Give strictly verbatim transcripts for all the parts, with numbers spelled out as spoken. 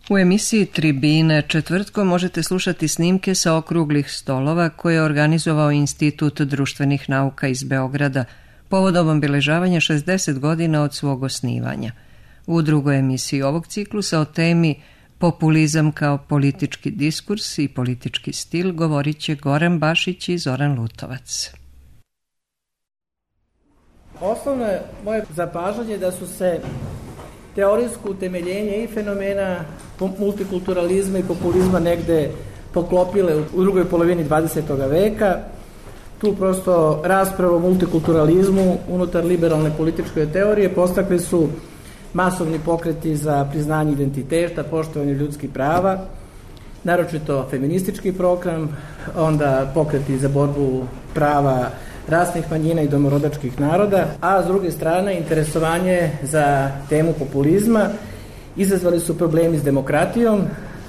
U emisiji Tribine četvrtkom možete slušati snimke sa okruglih stolova koje je organizovao Institut društvenih nauka iz Beograda povodom obeležavanja šezdeset godina od svog osnivanja. U drugoj emisiji ovog ciklusa o temi populizam kao politički diskurs i politički stil govorit će Goran Bašić i Zoran Lutovac. Osnovno je moje zapažanje da su se teorijsko utemeljenje i fenomena multikulturalizma i populizma negde poklopile u drugoj polovini dvadesetog veka. Tu prosto raspravu o multikulturalizmu unutar liberalne političke teorije postakli su masovni pokreti za priznanje identiteta, poštovanje ljudskih prava, naročito feministički program, onda pokreti za borbu prava rasnih manjina i domorodačkih naroda, a s druge strane interesovanje za temu populizma izazvali su problemi s demokratijom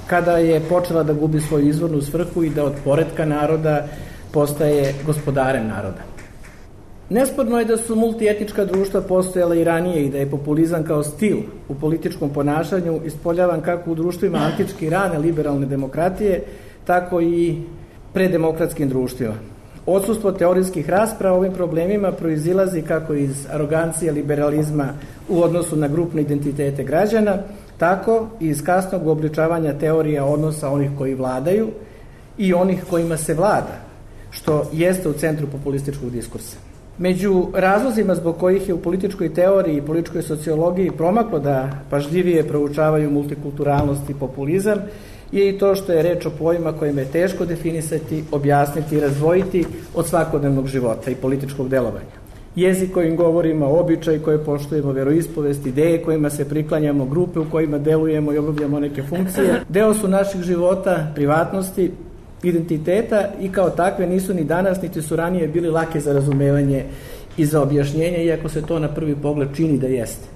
kada je počela da gubi svoju izvornu svrhu i da od poretka naroda postaje gospodarem naroda. Nesporno je da su multietnička društva postojala i ranije i da je populizam kao stil u političkom ponašanju ispoljavan kako u društvima antički rane liberalne demokratije, tako i predemokratskim društvima. Odsustvo teorijskih rasprava o ovim problemima proizilazi kako iz arogancije liberalizma u odnosu na grupne identitete građana, tako i iz kasnog obličavanja teorija odnosa onih koji vladaju i onih kojima se vlada, što jeste u centru populističkog diskursa. Među razlozima zbog kojih je u političkoj teoriji i političkoj sociologiji promaklo da pažljivije proučavaju multikulturalnost i populizam je i to što je reč o pojmima kojima je teško definisati, objasniti i razdvojiti od svakodnevnog života i političkog delovanja. Jezik kojim govorimo, običaj koje poštujemo, veroispovest, ideje kojima se priklanjamo, grupe u kojima delujemo i obavljamo neke funkcije, deo su naših života, privatnosti, identiteta i kao takve nisu ni danas, niti su ranije bili lake za razumevanje i za objašnjenje, iako se to na prvi pogled čini da jeste.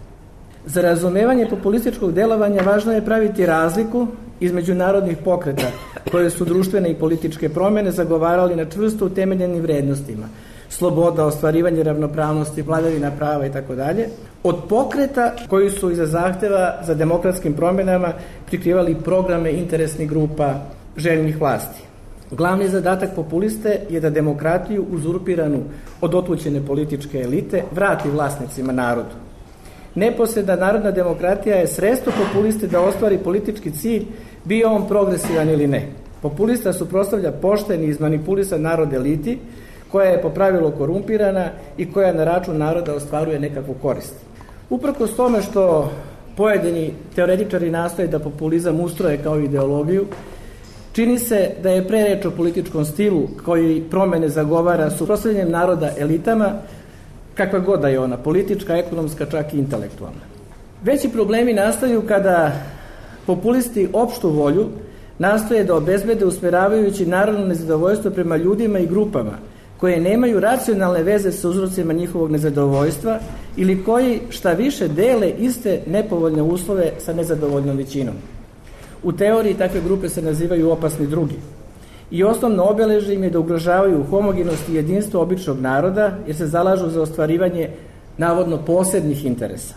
Za razumevanje populističkog delovanja važno je praviti razliku između narodnih pokreta koje su društvene i političke promene zagovarali na čvrsto utemeljenim vrednostima, sloboda, ostvarivanje ravnopravnosti, vladavina prava i tako dalje, od pokreta koji su iza zahteva za demokratskim promenama prikrivali programe interesnih grupa željnih vlasti. Glavni zadatak populiste je da demokratiju uzurpiranu od otvućene političke elite vrati vlasnicima narodu. Neposredna narodna demokratija je sredstvo populiste da ostvari politički cilj, bio on progresivan ili ne. Populista suprotstavlja pošten i izmanipulisan narod eliti, koja je po pravilu korumpirana i koja na račun naroda ostvaruje nekakvu korist. Uprkos tome što pojedini teoretičari nastoje da populizam ustroje kao ideologiju, čini se da je pre reč o političkom stilu koji promene zagovara suprotstavljanjem naroda elitama, kakva god da je ona, politička, ekonomska, čak i intelektualna. Veći problemi nastaju kada populisti opštu volju nastoje da obezbede usmeravajući narodno nezadovoljstvo prema ljudima i grupama koje nemaju racionalne veze sa uzrocima njihovog nezadovoljstva ili koji šta više dele iste nepovoljne uslove sa nezadovoljnom većinom. U teoriji takve grupe se nazivaju opasni drugi. I osnovno obeležje im je da ugrožavaju homogenost i jedinstvo običnog naroda jer se zalažu za ostvarivanje navodno posebnih interesa.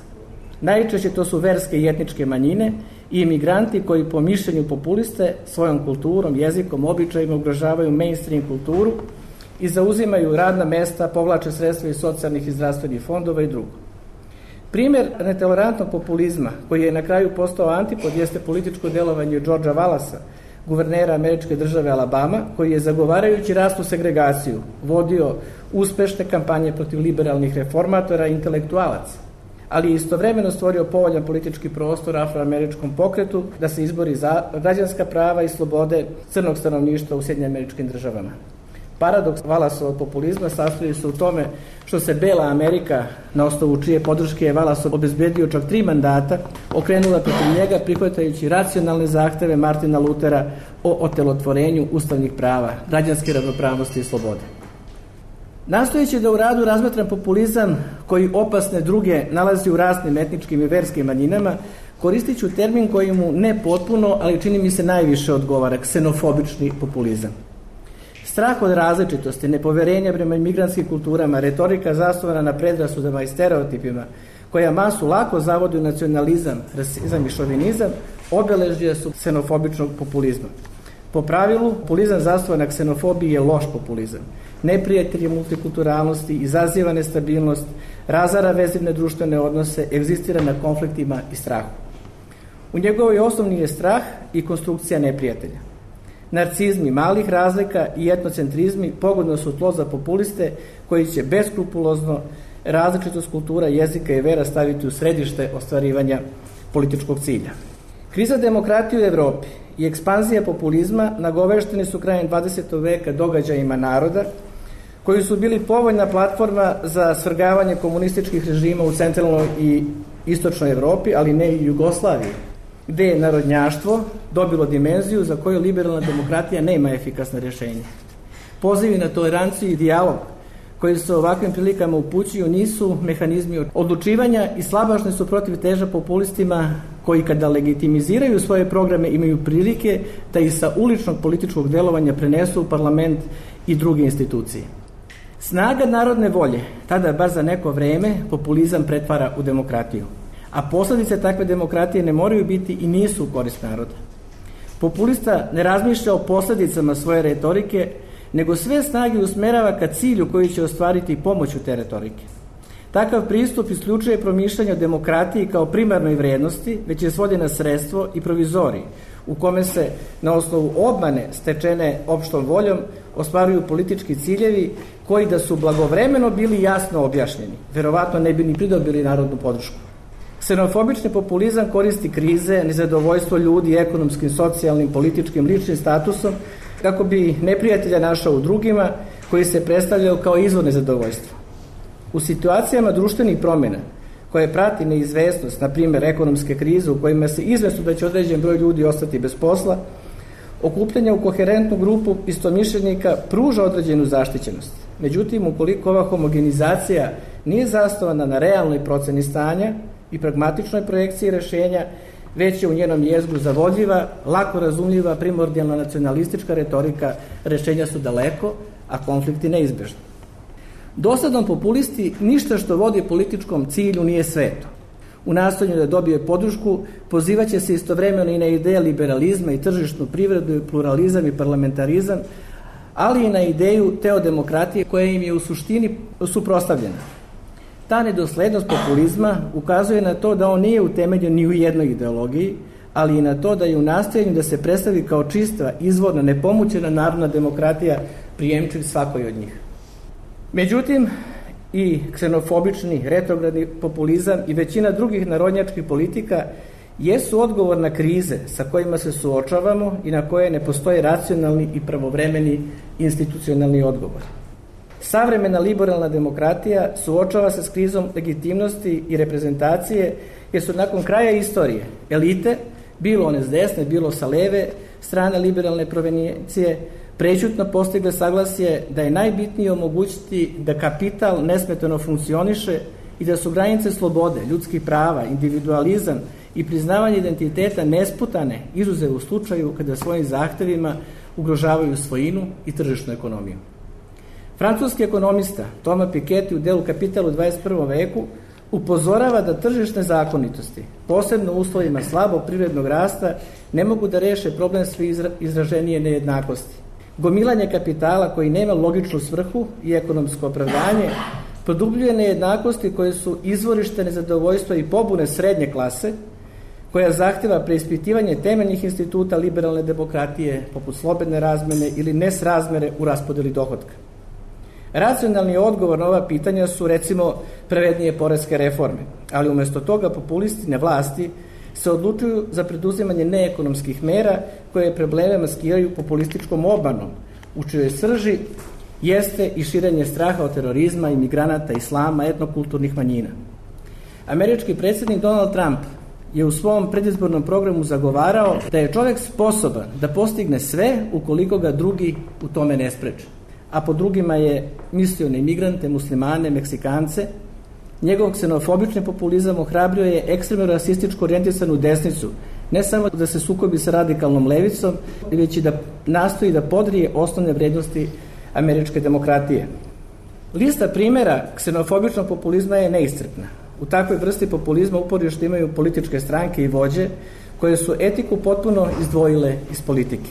Najčešće to su verske i etničke manjine i imigranti koji po mišljenju populiste svojom kulturom, jezikom, običajima ugrožavaju mainstream kulturu i zauzimaju radna mesta, povlače sredstva iz socijalnih i zdravstvenih fondova i drugo. Primer netolerantnog populizma, koji je na kraju postao antipod, jeste političko delovanje Georgea Wallacea, guvernera američke države Alabama, koji je zagovarajući rasnu segregaciju vodio uspešne kampanje protiv liberalnih reformatora i intelektualaca, ali je istovremeno stvorio povoljan politički prostor afroameričkom pokretu da se izbori za građanska prava i slobode crnog stanovništva u Sjedinjenim Američkim Državama. Paradoks Wallaceovog populizma sastoji se u tome što se bela Amerika, na osnovu čije podrške je Wallace obezbedio čak tri mandata, okrenula protiv njega prihvatajući racionalne zahteve Martina Luthera o otelotvorenju ustavnih prava, građanske ravnopravnosti i slobode. Nastojeći da u radu razmatram populizam koji opasne druge nalazi u rasnim etničkim i verskim manjinama, koristit ću termin koji mu ne potpuno, ali čini mi se najviše odgovara, ksenofobični populizam. Strah od različitosti, nepoverenja prema imigrantskim kulturama, retorika zasnovana na predrasudama i stereotipima, koja masu lako zavodi u nacionalizam, rasizam i šovinizam, obeležje su ksenofobičnog populizma. Po pravilu, populizam zasnovan na ksenofobiji je loš populizam. Neprijatelj je multikulturalnosti, izaziva nestabilnost, razara vezivne društvene odnose, egzistira na konfliktima i strahu. U njegovoj osnovni je strah i konstrukcija neprijatelja. Narcizmi malih razlika i etnocentrizmi pogodno su tlo za populiste koji će beskrupulozno različitost kultura, jezika i vera staviti u središte ostvarivanja političkog cilja. Kriza demokratije u Evropi i ekspanzija populizma nagovešteni su krajem dvadesetog veka događajima naroda koji su bili povoljna platforma za svrgavanje komunističkih režima u centralnoj i istočnoj Evropi, ali ne i Jugoslaviji, gde je narodnjaštvo dobilo dimenziju za koju liberalna demokratija nema efikasna rješenja. Pozivi na toleranciju i dijalog koji se ovakvim prilikama upućuju nisu mehanizmi odlučivanja i slabašni su protiv teža populistima koji kada legitimiziraju svoje programe imaju prilike da ih sa uličnog političkog delovanja prenesu u parlament i druge institucije. Snaga narodne volje tada bar za neko vreme populizam pretvara u demokratiju, a posledice takve demokratije ne moraju biti i nisu u korist naroda. Populista ne razmišlja o posledicama svoje retorike, nego sve snage usmerava ka cilju koji će ostvariti pomoću te retorike. Takav pristup isključuje promišljanje o demokratiji kao primarnoj vrednosti, već je svodi na sredstvo i provizorij, u kome se na osnovu obmane stečene opštom voljom ostvaruju politički ciljevi koji da su blagovremeno bili jasno objašnjeni, verovatno ne bi ni pridobili narodnu podršku. Ksenofobični populizam koristi krize, nezadovoljstvo ljudi ekonomskim, socijalnim, političkim, ličnim statusom kako bi neprijatelja našao u drugima koji se predstavljaju kao izvor nezadovoljstva. U situacijama društvenih promjena koje prati neizvesnost, na primjer ekonomske krize u kojima se izvesno da će određen broj ljudi ostati bez posla, okupljanje u koherentnu grupu istomišljenika pruža određenu zaštićenost. Međutim, ukoliko ova homogenizacija nije zasnovana na realnoj proceni stanja i pragmatičnoj projekciji rešenja, već je u njenom jezgru zavodljiva, lako razumljiva, primordijalna nacionalistička retorika, rešenja su daleko, a konflikti neizbežni. Dosadom populisti ništa što vodi političkom cilju nije sveto. U nastojanju da dobije podršku pozivaće se istovremeno i na ideje liberalizma i tržišnu privredu, pluralizam i parlamentarizam, ali i na ideju teodemokratije koja im je u suštini suprotstavljena. Ta nedoslednost populizma ukazuje na to da on nije utemeljen ni u jednoj ideologiji, ali i na to da je u nastojanju da se predstavi kao čista, izvorna, nepomućena narodna demokratija prijemčiv svakoj od njih. Međutim, i ksenofobični, retrogradni populizam i većina drugih narodnjačkih politika jesu odgovor na krize sa kojima se suočavamo i na koje ne postoje racionalni i pravovremeni institucionalni odgovor. Savremena liberalna demokratija suočava se s krizom legitimnosti i reprezentacije jer su nakon kraja istorije elite, bilo one s desne, bilo sa leve strane liberalne provenijencije, prećutno postigle saglasje da je najbitnije omogućiti da kapital nesmetano funkcioniše i da su granice slobode, ljudskih prava, individualizam i priznavanje identiteta nesputane, izuzev u slučaju kada svojim zahtevima ugrožavaju svojinu i tržišnu ekonomiju. Francuski ekonomista Thomas Piketty u delu Kapital u dvadeset prvom veku upozorava da tržišne zakonitosti, posebno u uslovima slabog privrednog rasta, ne mogu da reše problem sve izraženije nejednakosti. Gomilanje kapitala koji nema logičnu svrhu i ekonomsko opravdanje produbljuje nejednakosti koje su izvorište nezadovoljstva i pobune srednje klase, koja zahteva preispitivanje temeljnih instituta liberalne demokratije, poput slobodne razmene ili nesrazmere u raspodeli dohotka. Racionalni odgovor na ova pitanja su, recimo, pravednije poreske reforme, ali umjesto toga populisti na vlasti se odlučuju za preduzimanje neekonomskih mera koje probleme maskiraju populističkom obanom, u čijoj srži jeste i širenje straha od terorizma, imigranata, islama, etnokulturnih manjina. Američki predsjednik Donald Trump je u svom predizbornom programu zagovarao da je čovjek sposoban da postigne sve ukoliko ga drugi u tome ne spreče. A po drugima je mislio na imigrante, muslimane, Meksikance. Njegov ksenofobični populizam ohrabrio je ekstremno rasističko orijentisanu desnicu, ne samo da se sukobi sa radikalnom levicom, već i da nastoji da podrije osnovne vrednosti američke demokratije. Lista primjera ksenofobičnog populizma je neiscrpna. U takvoj vrsti populizma uporište imaju političke stranke i vođe koje su etiku potpuno izdvojile iz politike.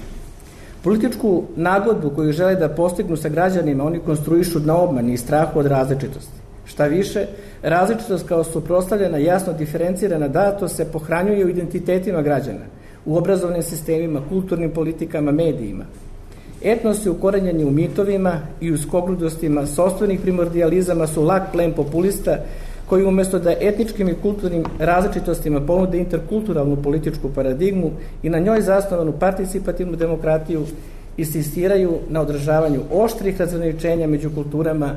Političku nagodbu koju žele da postignu sa građanima oni konstruišu na obmani i strahu od različitosti. Šta više, različitost kao suprotstavljena, jasno diferencirana datost se pohranjuje u identitetima građana, u obrazovnim sistemima, kulturnim politikama, medijima. Etnosi ukorenjeni u mitovima i u skogrudostima sopstvenih primordijalizama su lak plen populista koji umesto da etničkim i kulturnim različitostima ponude interkulturalnu političku paradigmu i na njoj zasnovanu participativnu demokratiju insistiraju na održavanju oštrih razgraničenja među kulturama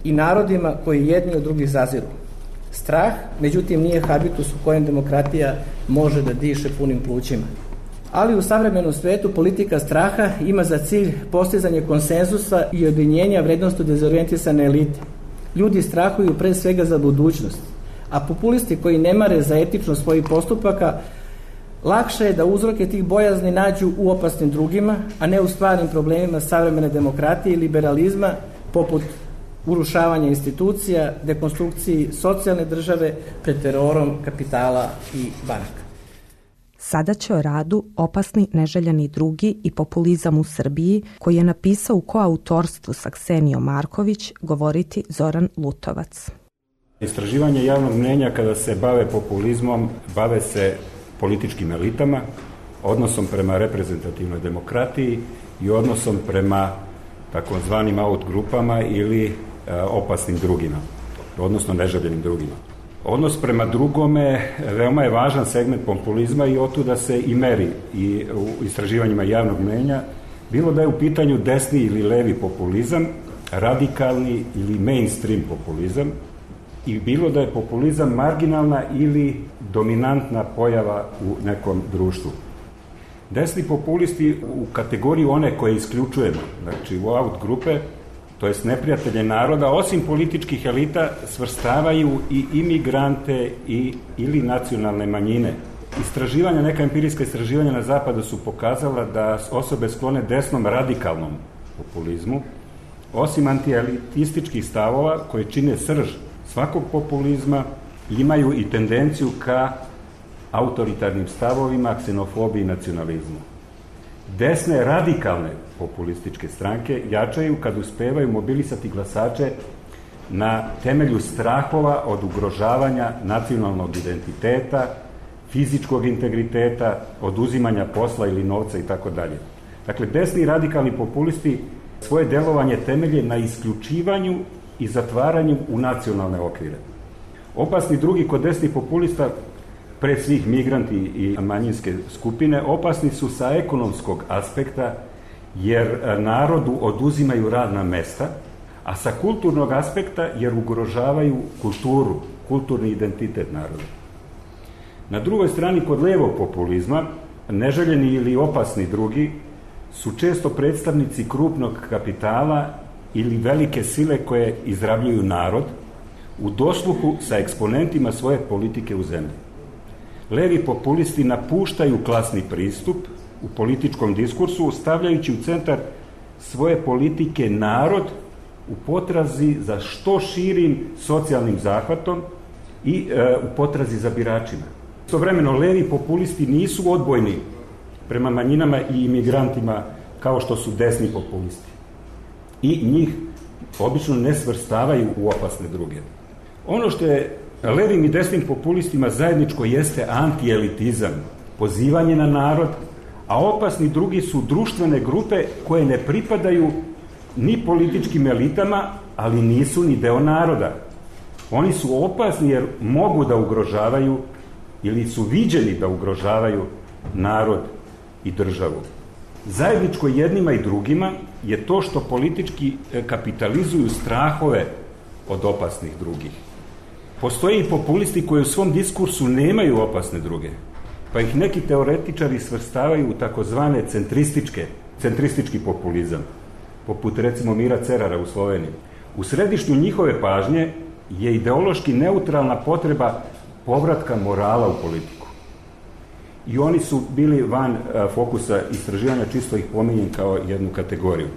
i narodima koji jedni od drugih zaziru. Strah, međutim, nije habitus u kojem demokratija može da diše punim plućima. Ali u savremenom svetu politika straha ima za cilj postizanje konsenzusa i objedinjenja vrednosti dezorijentisane elite. Ljudi strahuju pre svega za budućnost, a populisti koji ne mare za etičnost svojih postupaka lakše je da uzroke tih bojazni nađu u opasnim drugima, a ne u stvarnim problemima savremene demokratije i liberalizma, poput urušavanja institucija, dekonstrukciji socijalne države pred terorom kapitala i banaka. Sada će o radu Opasni, neželjeni drugi i populizam u Srbiji, koji je napisao u koautorstvu sa Ksenijom Marković, govoriti Zoran Lutovac. Istraživanje javnog mnjenja kada se bave populizmom, bave se političkim elitama, odnosom prema reprezentativnoj demokratiji i odnosom prema takozvanim out grupama ili e, opasnim drugima, odnosno neželjenim drugima. Odnos prema drugome veoma je važan segment populizma i otuda se i meri i u istraživanjima javnog mnjenja, bilo da je u pitanju desni ili levi populizam, radikalni ili mainstream populizam, i bilo da je populizam marginalna ili dominantna pojava u nekom društvu. Desni populisti u kategoriju one koje isključujemo, znači u out grupe, to jest neprijatelje naroda, osim političkih elita, svrstavaju i imigrante i, ili nacionalne manjine. Istraživanja, neka empirijska istraživanja na zapadu su pokazala da osobe sklone desnom radikalnom populizmu, osim antielitističkih stavova koje čine srž svakog populizma, imaju i tendenciju ka autoritarnim stavovima, ksenofobiji i nacionalizmu. Desne radikalne populističke stranke jačaju kad uspevaju mobilisati glasače na temelju strahova od ugrožavanja nacionalnog identiteta, fizičkog integriteta, oduzimanja posla ili novca i tako dalje. Dakle, desni radikalni populisti svoje delovanje temelje na isključivanju i zatvaranju u nacionalne okvire. Opasni drugi kod desnih populista, pre svih migranti i manjinske skupine, opasni su sa ekonomskog aspekta jer narodu oduzimaju radna mesta, a sa kulturnog aspekta jer ugrožavaju kulturu, kulturni identitet naroda. Na drugoj strani, kod levog populizma, neželjeni ili opasni drugi su često predstavnici krupnog kapitala ili velike sile koje izrabljuju narod u dosluhu sa eksponentima svoje politike u zemlji. Levi populisti napuštaju klasni pristup u političkom diskursu, stavljajući u centar svoje politike narod u potrazi za što širim socijalnim zahvatom i e, u potrazi za biračima. Istovremeno, levi populisti nisu odbojni prema manjinama i imigrantima kao što su desni populisti. I njih obično ne svrstavaju u opasne druge. Ono što je levim i desnim populistima zajedničko jeste antielitizam, pozivanje na narod, a opasni drugi su društvene grupe koje ne pripadaju ni političkim elitama, ali nisu ni deo naroda. Oni su opasni jer mogu da ugrožavaju ili su viđeni da ugrožavaju narod i državu. Zajedničko jednima i drugima je to što politički kapitalizuju strahove od opasnih drugih. Postoje i populisti koji u svom diskursu nemaju opasne druge, pa ih neki teoretičari svrstavaju u takozvane centrističke, centristički populizam, poput recimo Mira Cerara u Sloveniji. U središtu njihove pažnje je ideološki neutralna potreba povratka morala u politiku. I oni su bili van fokusa istraživanja, čisto ih pominjem kao jednu kategoriju.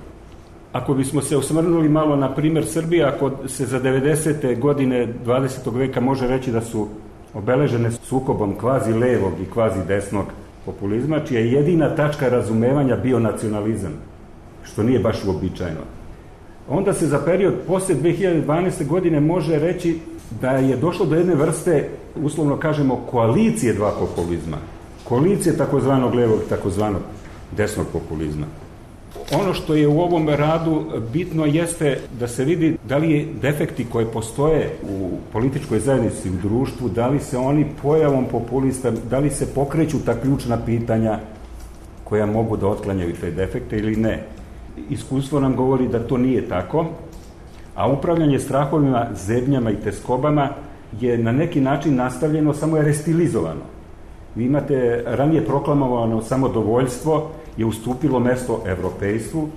ako bismo se osvrnuli malo na primjer Srbije, ako se za devedesete godine dvadesetog veka može reći da su obeležene sukobom kvazi levog i kvazi desnog populizma, čija je jedina tačka razumevanja bio nacionalizam, što nije baš uobičajeno. Onda se za period posle dve hiljade dvanaeste. godine može reći da je došlo do jedne vrste, uslovno kažemo, koalicije dva populizma. Koalicije takozvanog levog i takozvanog desnog populizma. Ono što je u ovom radu bitno jeste da se vidi da li je defekti koji postoje u političkoj zajednici, u društvu, da li se oni pojavom populista, da li se pokreću ta ključna pitanja koja mogu da otklanjaju te defekte ili ne. Iskustvo nam govori da to nije tako, a upravljanje strahovima, zebnjama i teskobama je na neki način nastavljeno, samo je restilizovano. Vi imate ranije proklamovano samodovoljstvo je ustupilo mesto evropejstvu,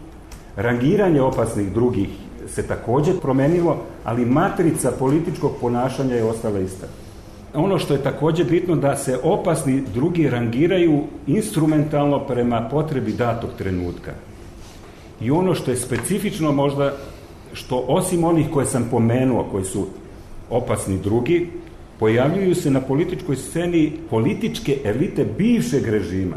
rangiranje opasnih drugih se također promenilo, ali matrica političkog ponašanja je ostala ista. Ono što je također bitno da se opasni drugi rangiraju instrumentalno prema potrebi datog trenutka. I ono što je specifično možda, što osim onih koje sam pomenuo, koji su opasni drugi, pojavljuju se na političkoj sceni političke elite bivšeg režima.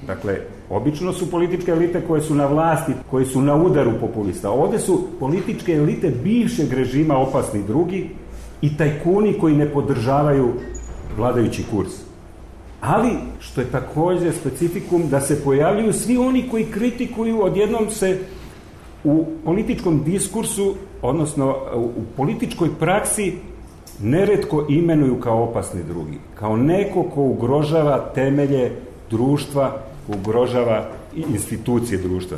Dakle, obično su političke elite koje su na vlasti, koje su na udaru populista. Ovde su političke elite bivšeg režima opasni drugi i tajkuni koji ne podržavaju vladajući kurs. Ali, što je također specifikum, da se pojavljuju svi oni koji kritikuju, odjednom se u političkom diskursu, odnosno u političkoj praksi, neretko imenuju kao opasni drugi. Kao neko ko ugrožava temelje društva, ugrožava institucije društva.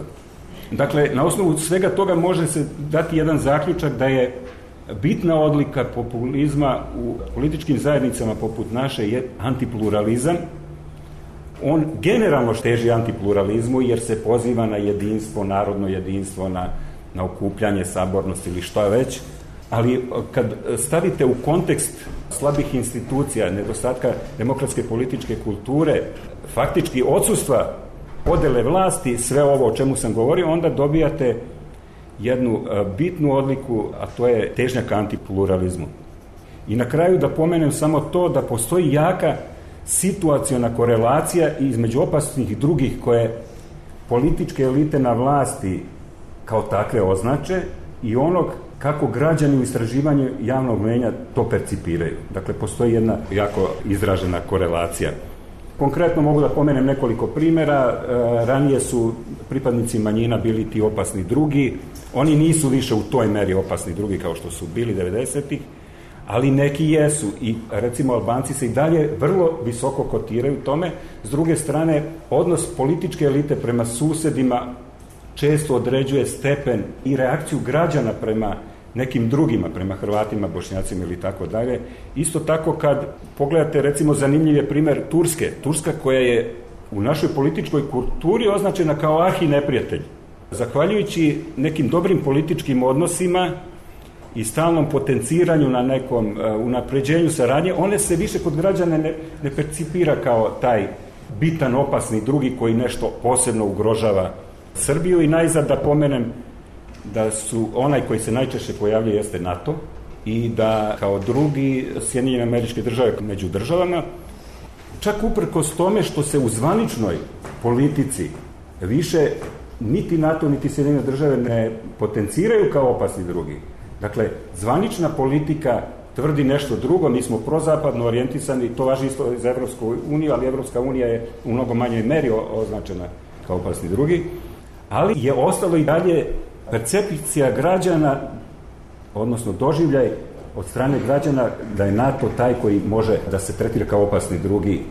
Dakle, na osnovu svega toga može se dati jedan zaključak da je bitna odlika populizma u političkim zajednicama poput naše je antipluralizam. On generalno teži antipluralizmu jer se poziva na jedinstvo, narodno jedinstvo, na, na okupljanje, sabornost ili šta već, ali kad stavite u kontekst slabih institucija, nedostatka demokratske političke kulture, faktički odsustva podele vlasti, sve ovo o čemu sam govorio, onda dobijate jednu bitnu odliku, a to je težnja ka antipluralizmu. I na kraju da pomenem samo to da postoji jaka situaciona korelacija između opasnih drugih koje političke elite na vlasti kao takve označe i onog kako građani u istraživanju javnog mnijenja to percipiraju. Dakle, postoji jedna jako izražena korelacija. Konkretno mogu da pomenem nekoliko primjera. Ranije su pripadnici manjina bili ti opasni drugi. Oni nisu više u toj meri opasni drugi kao što su bili devedesetih, ali neki jesu. I recimo Albanci se i dalje vrlo visoko kotiraju tome. S druge strane, odnos političke elite prema susedima često određuje stepen i reakciju građana prema nekim drugima, prema Hrvatima, Bošnjacima ili tako dalje. Isto tako kad pogledate, recimo, zanimljiv je primjer Turske. Turska koja je u našoj političkoj kulturi označena kao arhi neprijatelj. Zahvaljujući nekim dobrim političkim odnosima i stalnom potenciranju na nekom uh, unapređenju saradnje, one se više kod građana ne, ne percipira kao taj bitan, opasni drugi koji nešto posebno ugrožava Srbiju. I najzad da pomenem da su onaj koji se najčešće pojavljuje jeste NATO i da kao drugi Sjedinjene Američke Države među državama, čak uprkos tome što se u zvaničnoj politici više niti NATO niti Sjedinjene Države ne potenciraju kao opasni drugi. Dakle, zvanična politika tvrdi nešto drugo, mi smo prozapadno orijentisani, to važi isto za Evropsku uniju, ali Evropska unija je u mnogo manjoj meri označena kao opasni drugi, ali je ostalo i dalje percepcija građana, odnosno doživljaj od strane građana da je NATO taj koji može da se tretira kao opasni drugi,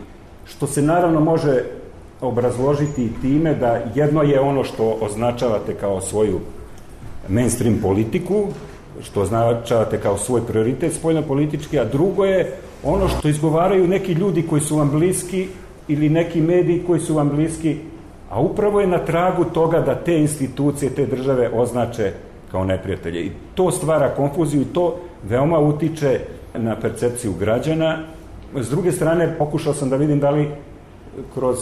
što se naravno može obrazložiti time da jedno je ono što označavate kao svoju mainstream politiku, što označavate kao svoj prioritet spoljnopolitički, a drugo je ono što izgovaraju neki ljudi koji su vam bliski ili neki mediji koji su vam bliski, a upravo je na tragu toga da te institucije, te države označe kao neprijatelje. I to stvara konfuziju i to veoma utiče na percepciju građana. S druge strane, pokušao sam da vidim da li kroz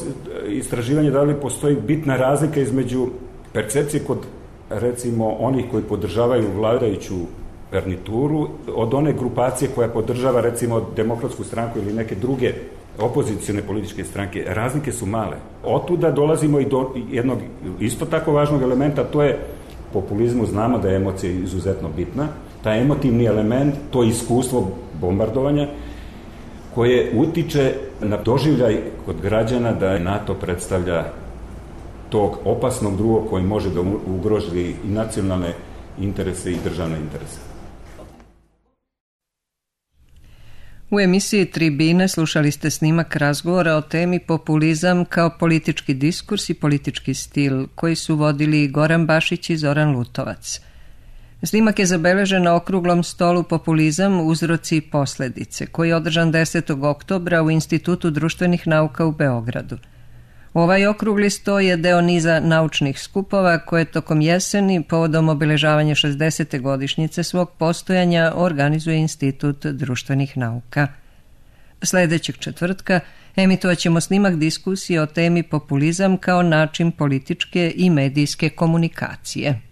istraživanje da li postoji bitna razlika između percepcije kod recimo onih koji podržavaju vladajuću garnituru od one grupacije koja podržava recimo Demokratsku stranku ili neke druge opozicione političke stranke. Razlike su male. Otuda dolazimo i do jednog isto tako važnog elementa, to je populizmu. Znamo da je emocija izuzetno bitna. Taj emotivni element, to iskustvo bombardovanja koje utiče na doživljaj kod građana da NATO predstavlja tog opasnog drugog koji može da ugrozi i nacionalne interese i državne interese. U emisiji Tribine slušali ste snimak razgovora o temi populizam kao politički diskurs i politički stil, koji su vodili Goran Bašić i Zoran Lutovac. Snimak je zabeležen na okruglom stolu Populizam, uzroci i posledice, koji je održan desetog oktobra u Institutu društvenih nauka u Beogradu. Ovaj okrugli sto je deo niza naučnih skupova koje tokom jeseni, povodom obeležavanja šezdesete godišnjice svog postojanja, organizuje Institut društvenih nauka. Sledećeg četvrtka emitovat ćemo snimak diskusije o temi populizam kao način političke i medijske komunikacije.